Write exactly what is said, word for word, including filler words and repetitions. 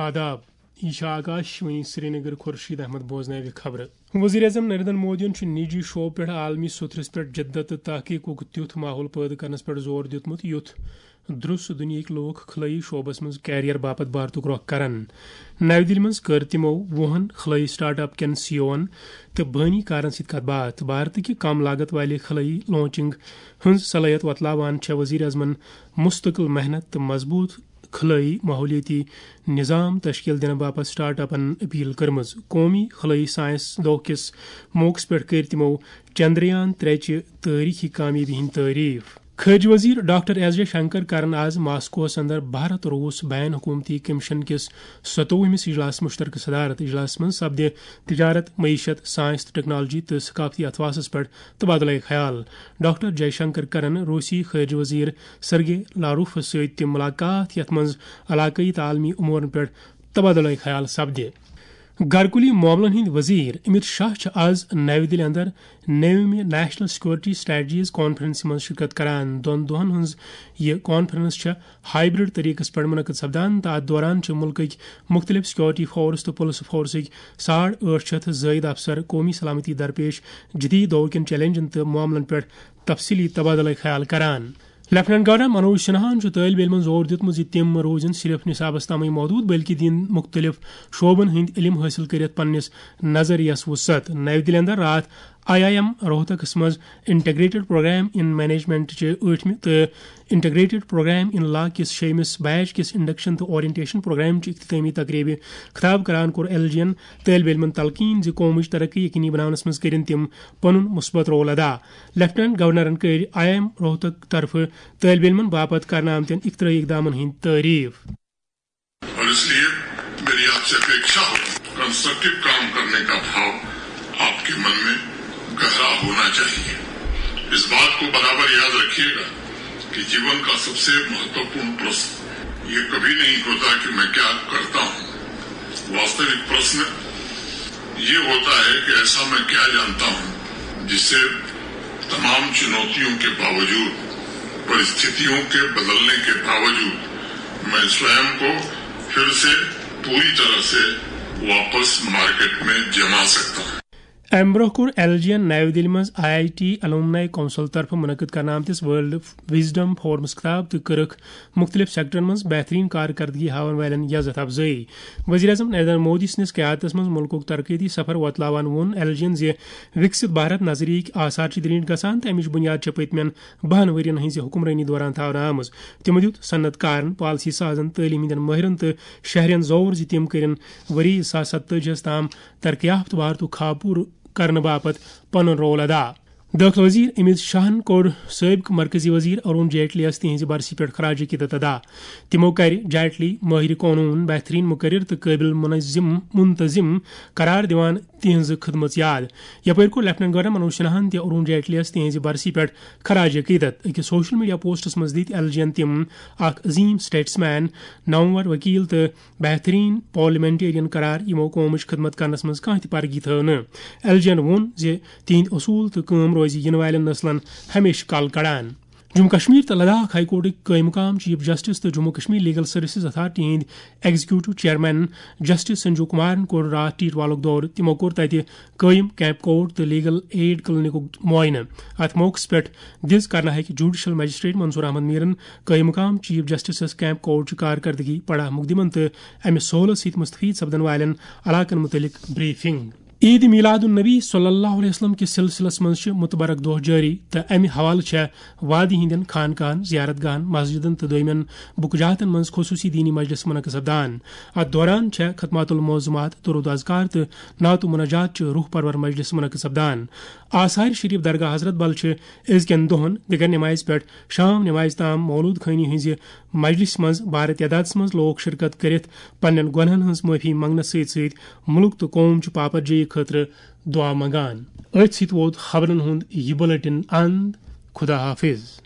آداب، یہِ چھِ آکاش وانی سرینگر۔ خورشید احمد بوزناوِ خبرٕ۔ وزیر اعظم نریندر مودیَن چھُ نجی شعبہٕ پٮ۪ٹھ عالمی سوٚتھرِس پٮ۪ٹھ جدت تہٕ تحقیقُک تیُتھ ماحول پٲدٕ کرنس پٮ۪ٹھ زور دیُتمُت، یُتھ درُس دُنیاہٕکۍ لوٗکھ خلٲیی شعبس منٛز کیریئر باپتھ بھارتُک رۄخ کرن۔ نَوِ دِلہِ منٛز کٔر تِمو وُہن خلٲیی سٹارٹ اپ کٮ۪ن سی او ہن تہٕ بٲنی کارن سۭتۍ کتھ باتھ۔ بھارتٕکہِ کم لاگت والہِ خلٲیی لانچنگ ہٕنٛز صلٲحیت وۄتلاوان چھےٚ وزیر اعظمن مستقل محنت تہٕ مضبوط خلٲیی ماحولیٲتی نظام تشکیل دِنہٕ باپتھ سٹارٹ اپن اپیل کٔرمٕژ۔ قومی خلٲیی ساینس دۄہ کِس موقعس پٮ۪ٹھ کٔرۍ تِمو چندریان ترٛےٚ چہِ تٲریخی کامیٲبی ہٕنٛدۍ تعریف۔ خارجہ وزیر ڈاکٹر ایس جے شنکر کرن آز ماسکوہس اندر بھارت روس بین حکومتی کمیشن کِس ستووُہمِس اجلاسس مشترکہ صدارت۔ اجلاسس منٛز سپدِ تجارت، معیشت، ساینس تہٕ ٹیکنالوجی تہٕ ثقافتی اتھواسس پٮ۪ٹھ تبادلہ خیال۔ ڈاکٹر جے شنکر کرن روسی خارجہ وزیر سرگے لاروفس سۭتۍ تہِ ملاقات، یتھ منٛز علاقٲیی تہٕ عالمی امورن پٮ۪ٹھ تبادلہ خیال سپدِ۔ گھرکُلی معاملن ہٕنٛدۍ وزیر امیت شاہ چھِ آز نَوِ دِلہِ اندر نٔومہِ نیشنل سیکورٹی سٹریٹجیز کانفرنسہِ منٛز شرکت کران۔ دۄن دۄہن ہٕنٛز یہِ کانفرنس چھےٚ ہائبرڈ طریقس پٮ۪ٹھ منعقد سپدان تہٕ اتھ دوران چھِ مُلکٕکۍ مُختٔلِف سیکورٹی فورس تہٕ پُلس فورسٕکۍ ساڑ ٲٹھ شیٚتھ زٲیِد افسر قومی سلامتی درپیش جدید دور کٮ۪ن چیلنجن تہٕ معاملن پٮ۪ٹھ تفصیلی تبادلہ خیال کران۔ لیفٹیننٹ گورنر منوج سنہاہن چھُ طٲلب علمن زور دیُتمُت زِ تِم روزن صرف نصابس تامٕے محدود، بلکہِ دِن مُختٔلِف شعبن ہٕنٛدۍ علم حٲصِل کٔرِتھ پننِس نظریس وسعت۔ نَوِ دِلہِ اندر راتھ آئی آئی ایم روہتکس منٛز انٹیگریٹڈ پروگرام ان مینجمنٹ چہِ ٲٹھمہِ تہٕ انٹیگریٹڈ پروگرام ان لا کِس شیٚیمِس بیچ کِس انڈکشن تہٕ اورینٹیشن پروگرام چہِ اختتامی تقریبہِ خطاب کران کوٚر ایل جی ین طٲلب علمن تلقین زِ قومٕچ ترقی یقینی بناونس منٛز کٔرِن تِم پنُن مثبت رول ادا۔ لیفٹیننٹ گورنرن کٔرۍ آئی آئی ایم روہتک طرفہٕ طٲلب علمن باپتھ کرنہٕ آمتٮ۪ن اختراعی اقدامن ہٕنٛدۍ تعریف۔ اور اس لیے میری آپ سے اپیکشا ہوگی، کنسٹرکٹیو کام کرنے کا بھاو آپ کے من میں گہرا ہونا چاہیے۔ اس بات کو برابر یاد رکھیے گا کہ جیون کا سب سے مہتوپورن پرشن یہ کبھی نہیں ہوتا کہ میں کیا کرتا ہوں۔ واستوک پرشن یہ ہوتا ہے کہ ایسا میں کیا جانتا ہوں جسے تمام چنوتیوں کے باوجود، پرستھتیوں کے بدلنے کے باوجود میں سوئم کو پھر سے پوری طرح سے واپس مارکیٹ میں جما سکتا ہوں۔ امہِ برونٛہہ کوٚر ایل جی ین نَوِ دِلہِ منٛز آئی آئی ٹی الومنائی کونسل طرفہٕ منعقد کرنہٕ آمتِس ورلڈ وزڈم فورمس خطاب تہٕ کٔرٕکھ مُختٔلِف سیکٹرن منٛز بہتریٖن کارکردگی ہاوَن والٮ۪ن یزتھ افزٲیی۔ وزیر اعظم نریندر مودی سٕنٛدِس قیادتس منٛز مُلکُک ترقیتی سفر وۄتلاوان ووٚن ایل جی ین زِ وِکسِت بھارت نظریہٕکۍ آثار چھِ درینٹھ گژھان تہٕ امِچ بُنیاد چھےٚ پٔتمٮ۪ن بَہَن ؤرین ہٕنٛزِ حُکمرٲنی دوران تھاونہٕ آمٕژ۔ تِمو دیُت صنعت کارن، پالیسی سازن، تعلیٖم ہٕنٛدٮ۪ن مٲہرن تہٕ شہرین زور زِ تِم کٔرِن ؤری زٕ ساس ستتٲجی ہَس تام ترقی یافتہٕ بھارتُک خواب پوٗرٕ کرنہٕ باپتھ پنُن رول ادا۔ دٲخلہٕ وزیر امیت شاہن کوٚر سٲبقہٕ مرکزی وزیر ارون جیٹلی یَس تِہنٛزِ برسی پٮ۪ٹھ خراج عقیدت ادا۔ تِمو کَرِ جیٹلی مٲہرِ قونوٗن، بہتریٖن مقرر تہٕ قٲبل منظم منتظم قرار دِوان تِہنٛز خدمژ یاد۔ یپٲرۍ کوٚر لیفٹیننٹ گورنر منوج سنہاہن تہِ ارون جیٹلی یَس تِہنٛزِ برسی پٮ۪ٹھ خراج عقیدت۔ أکِس سوشل میڈیا پوسٹس منٛز دِتۍ ایل جی ین تِم اکھ عظیم سٹیٹسمین، نامور وکیل تہٕ بہترین پارلیمنٹیرین قرار، یِمو قومٕچ خدمت کرنس منٛز کانٛہہ تہِ پرگی تھٲو نہٕ۔ ایل جی ین ووٚن زِ تِہنٛدۍ اصوٗل تہٕ کٲم روزِ یِنہٕ والٮ۪ن نسلن ہمیشہٕ کل کڑان۔ جموں کشمیر تہٕ لداخ ہائی کورٹٕکۍ قٲیِم مقام چیف جسٹس تہٕ Jammu Kashmir legal services authority ہٕنٛدۍ ایگزیکیوٹو چیئرمین جسٹس سنجیو کمارن کوٚر راتھ ٹیٹ والُک دورٕ۔ تِمو کوٚر تتہِ قٲیِم کیمپ کورٹ تہٕ لیگل ایڈ کلینکُک معائنہٕ۔ اتھ موقعس پٮ۪ٹھ دِژ کرناہٕکۍ جوڈیشل مجسٹریٹ منصور احمد میرن قٲیِم مقام چیف جسٹسس کیمپ کورٹ چہِ کارکردگی، پڑا مقدمن تہٕ امہِ سہولت سۭتۍ مستفید سپدن والٮ۪ن علاقن متعلق بریفنگ۔ عید میلاد النبی صلی اللہ علیہ وسلم کِس سلسلس منٛز چھِ متبرک دۄہ جٲری تہٕ امہِ حوالہٕ چھےٚ وادی ہٕنٛدٮ۪ن خانقاہن، زیارت گاہن، مسجدن تہٕ دویمٮ۪ن بُکہٕ جہاتن منٛز خصوصی دینی مجلس منعقد سپدان۔ اتھ دوران چھےٚ ختمات المعظمات، درود اذکار تہٕ نعت و مناجات چہِ روح پرور مجلس منعقد سپدان۔ آثار شریف درگاہ حضرت بل چھِ أزکٮ۪ن دۄہن دِگر نمازِ پٮ۪ٹھ شام نمازِ تام مولود خٲنی ہٕنٛزِ مجلسہِ منٛز بارٕ تعدادس منٛز لوٗکھ شرکت کٔرِتھ پننٮ۪ن گۄنہن ہٕنٛز معٲفی منٛگنس سۭتۍ سۭتۍ مُلک تہٕ قوم چہِ پاپرجٲیی خٲطرٕ دُعا منٛگان۔ أتھۍ سۭتۍ ووت خبرن ہُنٛد یہِ بُلٹن اند۔ خدا حافظ۔